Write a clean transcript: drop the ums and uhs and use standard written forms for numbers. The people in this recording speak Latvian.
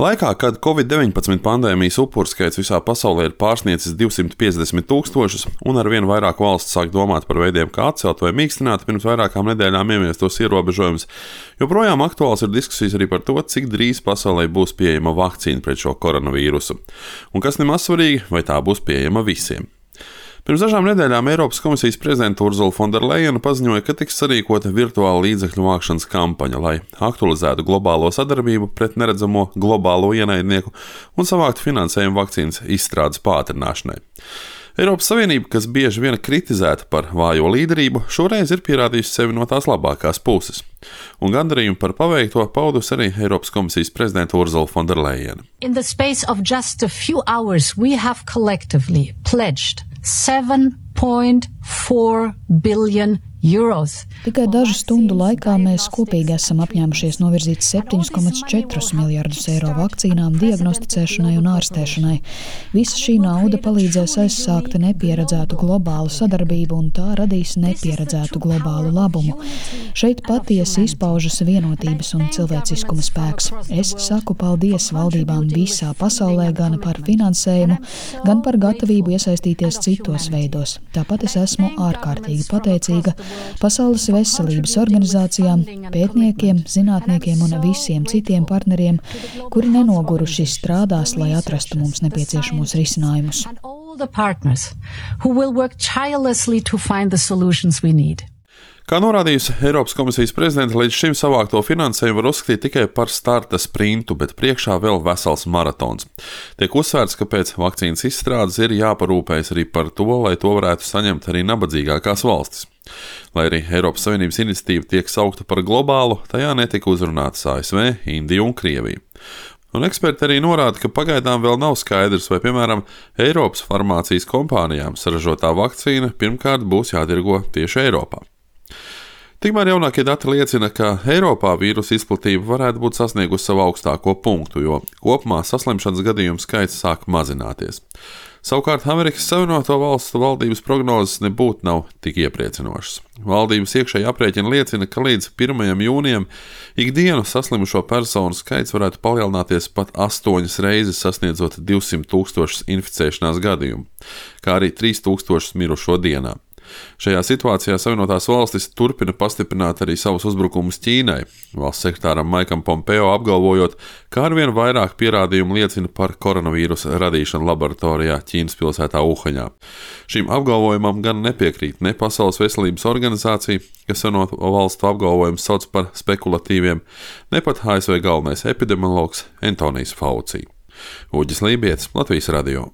Laikā, kad Covid-19 pandēmijas upuru skaits visā pasaulē ir pārsniedzis 250 000 un arvien vairāk valsts sāk domāt par veidiem, kā atcelt vai mīkstināt pirms vairākām nedēļām ieviestos ierobežojumus, joprojām aktuāls ir diskusijas arī par to, cik drīz pasaulē būs pieejama vakcīna pret šo koronavīrusu. Un kas nemaz svarīgi, vai tā būs pieejama visiem. Pirms dažām nedēļām Eiropas komisijas prezidente Ursula von der Leyen paziņoja, ka tiks sarīkota virtuāla līdzekļu vākšanas kampaņa, lai aktualizētu globālo sadarbību pret neredzamo globālo ienaidnieku un savāktu finansējumu vakcīnas izstrādes pātrināšanai. Eiropas Savienība, kas bieži vien kritizēta par vājo līderību, šoreiz ir pierādījusi sevi no tās labākās puses. Un gandarījumu par paveikto paudusi arī Eiropas komisijas prezidente Ursula von der Leyen. In the space of just a few hours, we have collectively pledged 7.4 billion euros. Tikai dažu stundu laikā mēs kopīgi esam apņēmušies novirzīt 7,4 miljardus eiro vakcīnām, diagnosticēšanai un ārstēšanai. Visa šī nauda palīdzēs aizsākt nepieredzētu globālu sadarbību un tā radīs nepieredzētu globālu labumu. Šeit patiesi izpaužas vienotības un cilvēciskuma spēks. Es saku paldies valdībām visā pasaulē gan par finansējumu, gan par gatavību iesaistīties citos veidos. Tāpat es esmu ārkārtīgi pateicīga Pasaules veselības organizācijām, pētniekiem, zinātniekiem un visiem citiem partneriem, kuri nenoguruši strādās, lai atrastu mums nepieciešamos risinājumus. Kā norādījusi Eiropas komisijas prezidente, līdz šim savākto finansējumu var uzskatīt tikai par starta sprintu, bet priekšā vēl vesels maratons. Tiek uzsvērts, ka pēc vakcīnas izstrādes ir jāparūpējas arī par to, lai to varētu saņemt arī nabadzīgākās valstis. Lai arī Eiropas Savienības iniciatīva tiek saukta par globālu, tajā netika uzrunātas ASV, Indija un Krievija. Un eksperti arī norāda, ka pagaidām vēl nav skaidrs, vai, piemēram, Eiropas farmācijas kompānijām saražotā vakcīna pirmkārt būs jātirgo tieši Eiropā. Tikmēr jaunākie dati liecina, ka Eiropā vīrusa izplatība varētu būt sasniegusi savu augstāko punktu, jo kopumā saslimšanas gadījumu skaits sāk mazināties. Savukārt Amerikas Savienoto Valstu valdības prognozes nebūtu nav tik iepriecinošas. Valdības iekšēji aprēķini liecina, ka līdz 1. jūnijam ikdienu saslimušo personu skaits varētu palielināties pat 8 reizes, sasniedzot 200 000 inficēšanās gadījumu, kā arī 3000 mirušo dienā. Šajā situācijā Savienotās valstis turpina pastiprināt arī savus uzbrukumus Ķīnai, valsts sekretāram Maikam Pompeo apgalvojot, ka arvien vairāk pierādījumu liecina par koronavīrusa radīšanu laboratorijā Ķīnas pilsētā Uhaņā. Šim apgalvojumam gan nepiekrīt ne Pasaules veselības organizācija, kas Savienoto valstu apgalvojumus sauc par spekulatīviem, ne pat ASV galvenais epidemiologs Antonijs Fauci. Uģis Lībietis, Latvijas radio.